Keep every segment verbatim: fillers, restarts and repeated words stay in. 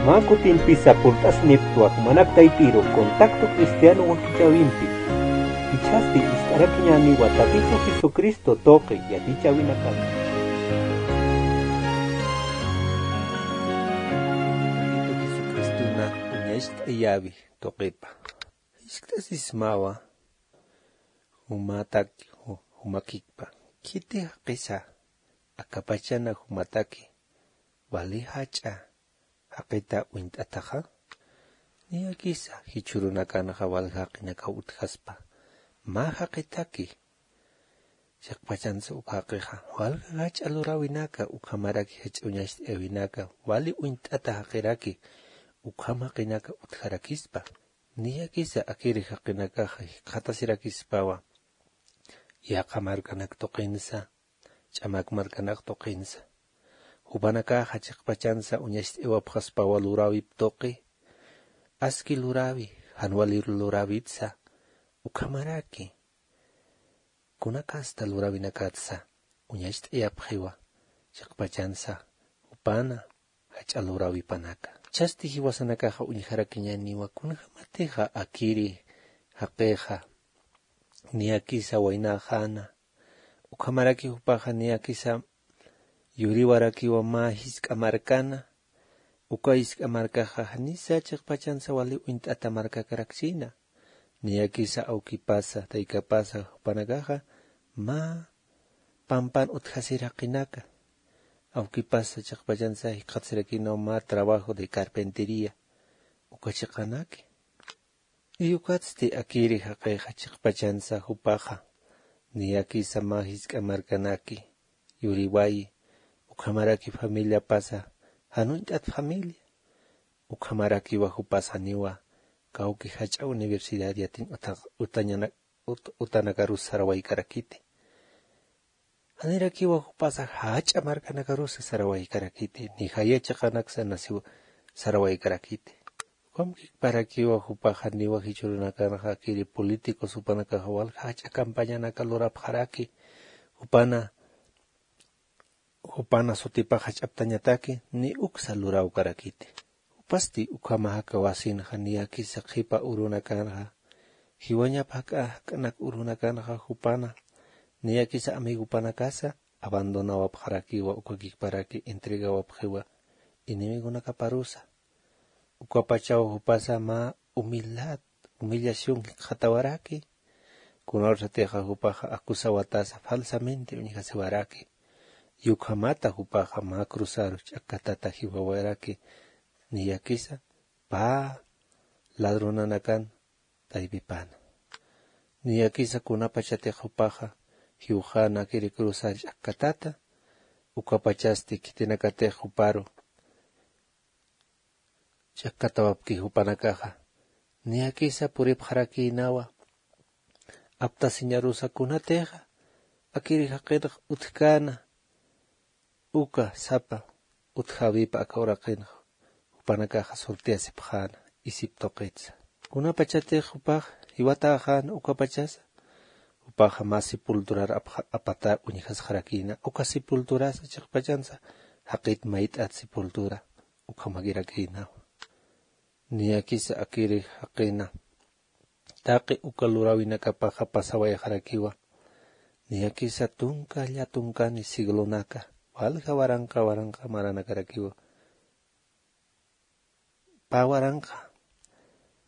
Mä kutimpisa purt'asniptwa jumanak taypiru Contacto Cristiano wakichäwimpi. Jichhasti ist'arakiñäniwa Tatitu Jesucristo tuqi yatichäwinakata. Tatitu Jesucristona uñacht'ayäwi tuqipa. Jiskt'asismawa jumatak, ju-, jumakikpa. Khiti jaqisa, akapachana jumataki, wali jach'a jaqita uñt'ataxa. Niyakisa jichhürunakanxa walja jaqinakaw utjaspa, mä jaqitaki. Chiqpachansa uka jaqixa, walja jach'a luräwinaka, ukhamaraki jach'a uñacht'ayäwinaka, wali uñt'ata jaqiraki, ukham jaqinaka utjarakispa. Niyakisa akiri jaqinakaxa jikxatasirakispawa, yaqha markanak tuqinsa, ch'amak markanak tuqinsa. Jupanakaxa chiqpachansa uñacht'ayawapxaspawa luräwip tuqi, aski luräwi, jan wali luräwitsa, ukhamaraki. Kunakasta luräwinakatsa uñacht'ayapxiwa, chiqpachansa jupana jach'a luräwipanaka. Jichhasti jiwasanakaxa uñjarakiñäniwa kunjämatixa akiri jaqixa niyakisa waynäxäna, ukhamaraki jupaxa niyakisa yuriwarakiwa mä jisk'a markana, uka jisk'a markaxa janisa chiqpachansa wali uñt'ata markakarakchïna. Niyakisa awkipasa, taykapasa jupanakaxa mä pampan utjasir jaqinaka. Awkipasa chiqpachansa jikxatasirakïnaw mä trabajo de carpintería, uka chiqanaki. Y ukatsti akiri jaqixa chiqpachansa jupaxa, niyakisa mä jisk'a markanaki yuriwayi, ukhamaraki familiapasa jan uñt'at familia, ukhamarakiwa jupasa janiwa kawki jach'a universidad yatiñ uta-, utañana-, ut-, utanakarus sarawaykarakiti. Janirakiwa jupasa jach'a markanakarusa sarawaykarakiti, ni jaya chiqanaksa nasiw sarawaykarakiti. Ukham jikxatarakiwa jupaxa janiwa jichhürunakanxa akiri políticos jupanakaxa walja jach'a campañanaka lurapxaraki, jupana, jupana sutipax jach'aptañataki, ni uksa luräwkarakiti. Jupasti ukhama jakawasinxa niyakisa qhipa urunakanxa, jiwañap jak'a jak'anak urunakanxa jupana, niyakisa amigopanakasa abandonawapxarakiwa, uka jikxataraki entregawapxiwa enemigonakaparusa. Ukapachaw jupasa mä humildad, humillación jikxatawaraki, kunawsatixa jupaxa acusawatasa falsamente uñjasiwaraki. Y ukhamata jupaxa mä cruzaru ch'akkatata jiwawaraki, niyakisa pä ladronanakan taypipana. Niyakisa kunapachatix jupaxa jiwxäna akiri cruzar ch'akkatata, ukapachasti khitinakatix juparu ch'akkatawapki jupanakaxa, niyakisa puripxarakïnawa aptasiñarusa kunatixa akiri jaqinx utjkäna, uka sapa utjäwipa aka uraqinx jupanakaxa sorteasipxäna isip tuqitsa. Kunapachatix jupax jiwatäxäna ukapachasa, jupaxa mä sepulturar apxa-, apatar uñjasxarakïna, uka sepulturasa chiqpachansa jaqit mayt'at sepultura ukhamakirakïnawa. Niyakisa akiri jaqina taqi uka luräwinakapaxa pasawayxarakiwa. Niyakisa tunka llatunkani siglonaka walja waranqa waranqa maranakarakiwa. Pä waranqa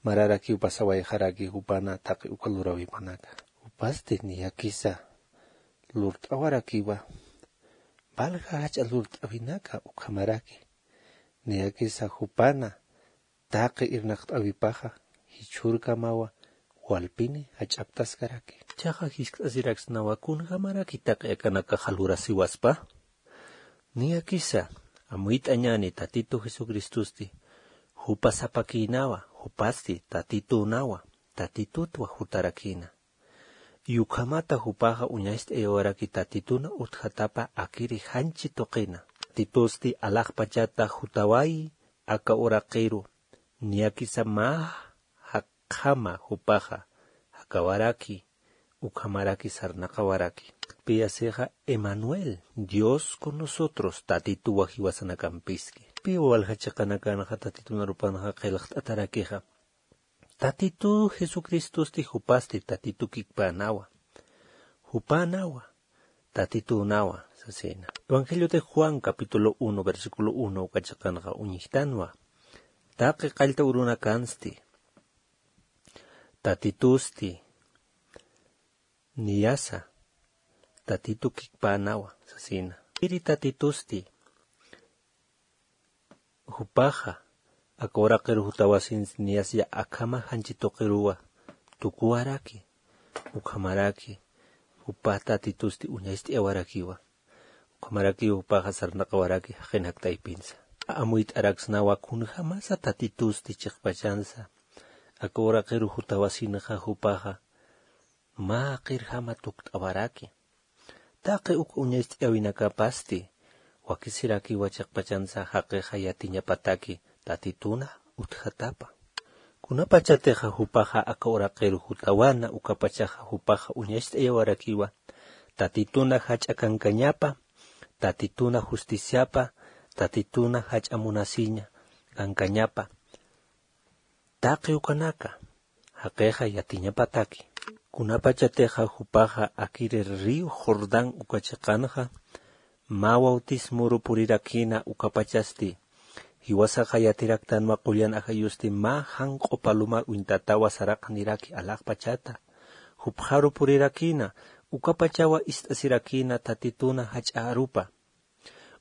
mararakiw pasawayxaraki jupana taqi uka luräwipanaka. Jupasti niyakisa lurt'awarakiwa walja jach'a lurt'awinaka ukhamaraki. Niyakisa jupana taqi irnaqt'äwipaxa jichhürkamawa walpini jach'aptaskaraki. Jichhaxa jiskt'asiraksnawa kunjämaraki taqi akanakaxa lurasiwaspa. Niyakisa amuyt'añäni Tatitu Jesucristosti jupa sapakïnawa, jupasti Tatitünawa, Tatitutwa jutarakïna. Y ukhamata jupaxa uñacht'ayawaraki Tatituna utjatapa akiri janchi tuqina. Tatitusti alaxpachata jutawayi aka uraqiru, niyakisa mä jakxama jupaxa jakawaraki, ukhamaraki sarnaqawaraki. Piyasixa Emanuel, Dios con nosotros, Tatituwa jiwasanakampiski. Piwa walja chiqanakanxa tatitun arupanxa qillqt'atarakixa? Tatitu jesucristosti jupasti tatitu kikpänawa. Jupanawa tatitunawa sasina. Evangelio de juan capítulo uno versículo uno uka chiqanxa uñjtanwa. Taqi qallta urunakansti tatitusti niyasa tatitu kikpänawa sasina. Iri tatitusti jupaxa aka uraqiru jutawasinsti niyasya akhama janchi tuqiruwa tukuwaraki. Ukhamaraki jupa tatitusti uñacht'ayawarakiwa. Ukhamarakiw jupaxa sarnaqawaraki jaqin jakt'aypinsa. Amuyt'araksnawa kunjamasa tatitusti chiqpachansa aka uraqiru jutawasinxa jupaxa mä qirjama tukt'awaraki. Taqi uk uñacht'ayawinakapasti wakisirakiwa chiqpachansa jaqixa yatiñapataki tatituna utjatapa. Kunapachatixa jupaxa aka uraqiru jutawana ukapachaxa jupaxa uñacht'ayawarakiwa tatituna jach'a kankañapa, tatituna justiciapa, tatituna jach'a munasiña kankañapa. Taqi ukanaka jaqixa yatiñapataki. Kunapachatixa jupaxa akiri río jordán uka chiqanxa mä bautismuru purirakïna ukapachasti jiwasaxa yatiraktanwa qullan ajayusti mä janq'u palomar uñtatawa saraqniraki alaxpachata. Jupxaru purirakïna ukapachawa ist'asirakïna tatituna jach'a arupa.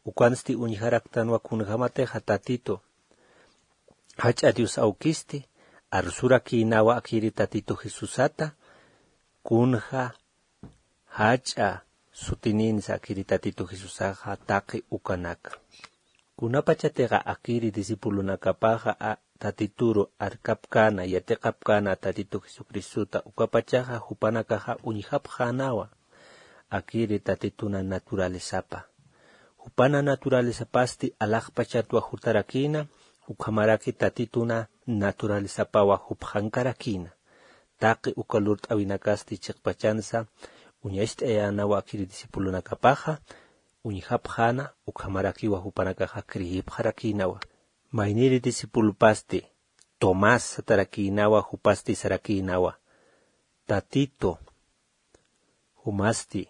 Ukansti uñjaraktanwa kunjämatixa tatitu jach'a dios awkisti arsurakïnawa akiri tatitu jesusata. Kunja jach'a sutininsa akiri tatitu jesusaxa taqi ukanaka. Kunapachatixa akiri discipulonakapaxa tatituru arkapkäna yatiqapkäna tatitu jesucristota ukapachaxa jupanakaxa uñjapxänawa akiri tatituna naturalezapa. Jupana naturalezapasti alaxpachatwa jutarakïna ukhamaraki tatituna naturalezapawa jupxankarakïna. Taqi uka lurt'awinakasti chiqpachansa uñacht'ayänawa akiri discipulonakapaxa uñjapxäna ukhamarakiwa jupanakaxa creyipxarakïnawa. Mayniri discipulopasti tomás satarakïnawa jupasti sarakïnawa tatitu jumasti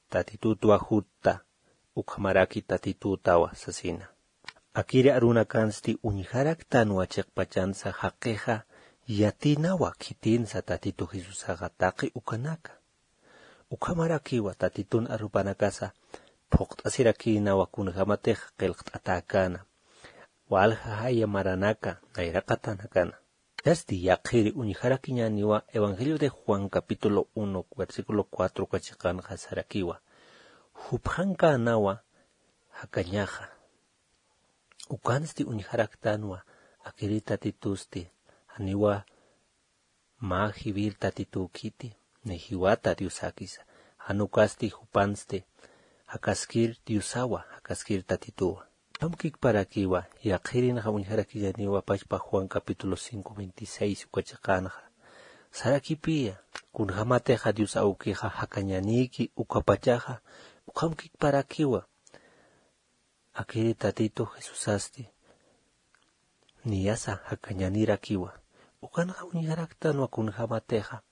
tatitutwa jutta ukhamaraki tatitutawa sasina. Akiri arunakansti uñjaraktanwa chiqpachansa jaqixa yatinawa khitinsa tatitu jesusaxa taqi ukanaka. Ukhamarakiwa tatitun arupanakasa phuqt'asirakïnawa kunjämatix qillqt'atäkäna walja jaya maranaka nayraqatanakana. Yasti yaqhiri uñjarakiñäniwa evangelio de juan capítulo uno versículo cuatro uka chiqanxa sarakiwa jupxankänawa jakañaxa. Ukansti uñjaraktanwa akiri tatitusti janiwa mä jiwir tatituw khiti ni jiwata diosakisa. Jan ukasti jupansti jakaskir diosawa jakaskir tatituwa. Ukhamkikparakiwa yaqhirinxa uñjarakiñaniwa pachpa juan capítulo cinco veintiséis uka chiqanxa sarakipiya kunjämatixa dios awkixa jakañanïki ukapachaxa. Ukhamkikparakiwa akiri tatitu jesusasti niyasa jakañanirakiwa. Ukanxa uñjaraktanwa kunjämatixa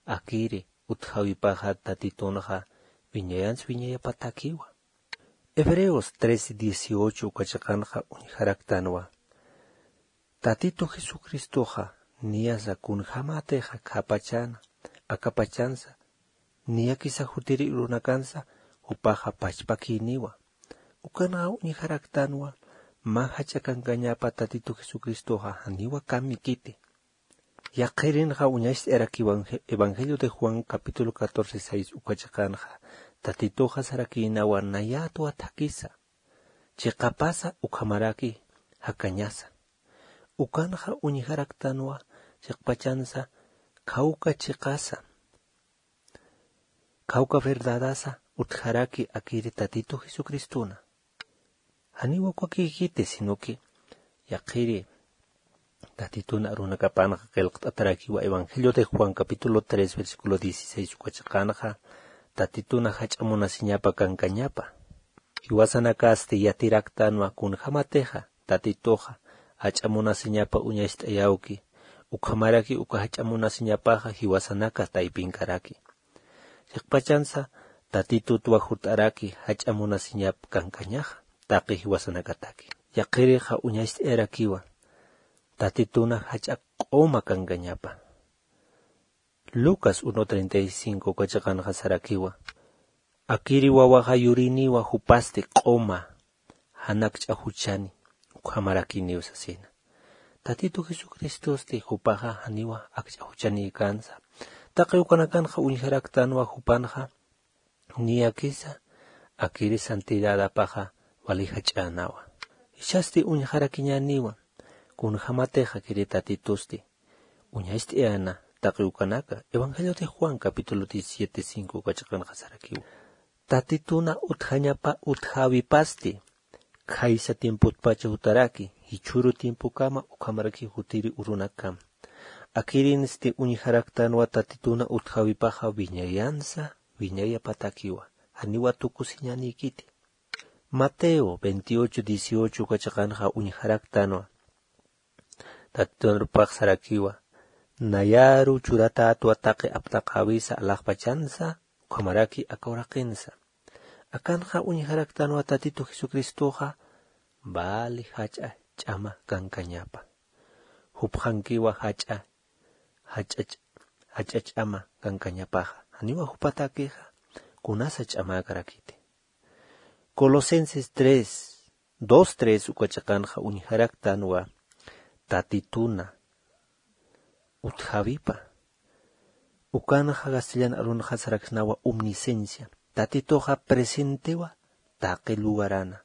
akiri utjawipaxa tatitunxa wiñayans wiñayapatakiwa. Hebreos trece dieciocho uka chiqanxa uñjaraktanwa tatitu jesucristoxa niyasa kunjämatixa khapachana akapachansa niyakisa jutiri urunakansa jupaxa pachpakïniwa. Ukanxa uñjaraktanwa mä jach'a kankañapa tatitu jesucristoxa janiwa kamikiti. Yaqhirinxa uñacht'ayarakiwa evangelio de juan capítulo catorce seis uka chiqanxa tatituxa sarakïnawa nayätwa thakisa chiqapasa ukhamaraki jakañasa. Ukanxa uñjaraktanwa chiqpachansa khawka chiqasa khawka verdadasa utjaraki akiri tatitu jesucristona. Janiw ukakïkiti sino que yaqhiri tatitun arunakapanxa qillqt'atarakiwa evangelio de juan capítulo tres versículo dieciséis uka chiqanxa tatituna jach'a munasiñapa kankañapa. Jiwasanakasti yatiraktanwa kunjämatixa Tatituxa jach'a munasiñapa uñacht'ayawki, ukhamaraki uka jach'a munasiñapaxa jiwasanaka taypinkaraki. Chiqpachansa Tatitutwa jut'araki jach'a munasiñap kankañaxa taqi jiwasanakataki. Yaqhirixa uñacht'ayarakiwa Tatituna jach'a q'uma kankañapa. Lucas uno treinta y cinco uka chiqanxa sarakiwa: Akiri wawaxa yuriniwa jupasti q'uma, jan akch'a juchani, ukhamarakiniw sasina. Tatitu Jesucristosti jupaxa janiwa akch'a juchanïkansa. Taqi ukanakanxa uñjaraktanwa jupanxa niyakisa akiri santidadapaxa wali jach'änawa. Jichhasti uñjarakiñäniwa kunjämatixa akiri Tatitusti uñacht'ayäna taqi ukanaka. Evangelio de Juan capítulo diecisiete cinco uka chiqanxa sarakiwa: Tatituna utjañapa utjäwipasti khaysa tiempotpacha jutaraki, jichhüru tiempokama ukhamaraki jutiri urunakama. Akirinsti uñjaraktanwa Tatituna utjäwipaxa wiñayansa, wiñayapatakiwa, janiwa tukusiñänïkiti. Mateo veintiocho dieciocho uka chiqanxa uñjaraktanwa Tatitunarpax sarakiwa: Nayaru churatätwa taqi aptaqäwisa alaxpachansa, ukhamaraki aka uraqinsa. Akanxa uñjaraktanwa Tatitu Jesucristoxa vali jach'a ch'ama kankañapa. Jupxankiwa jach'a, jach'a ch-, jach'a ch'ama kankañapaxa. Janiwa jupatakixa kunasa ch'amäkarakiti. Colosenses tres, dos tres uka chiqanxa uñjaraktanwa Tatituna utjäwipa. Ukanxa castellan arunxa saraksnawa omnisciencia. Tatituxa presentewa taqi lugarana.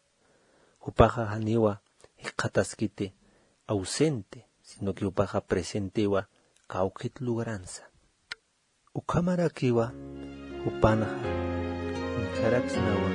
Jupaxa janiwa jikxataskiti ausente, sino que jupaxa presentewa kawkit lugaransa. Ukhamarakiwa jupanxa uñjaraksnawa.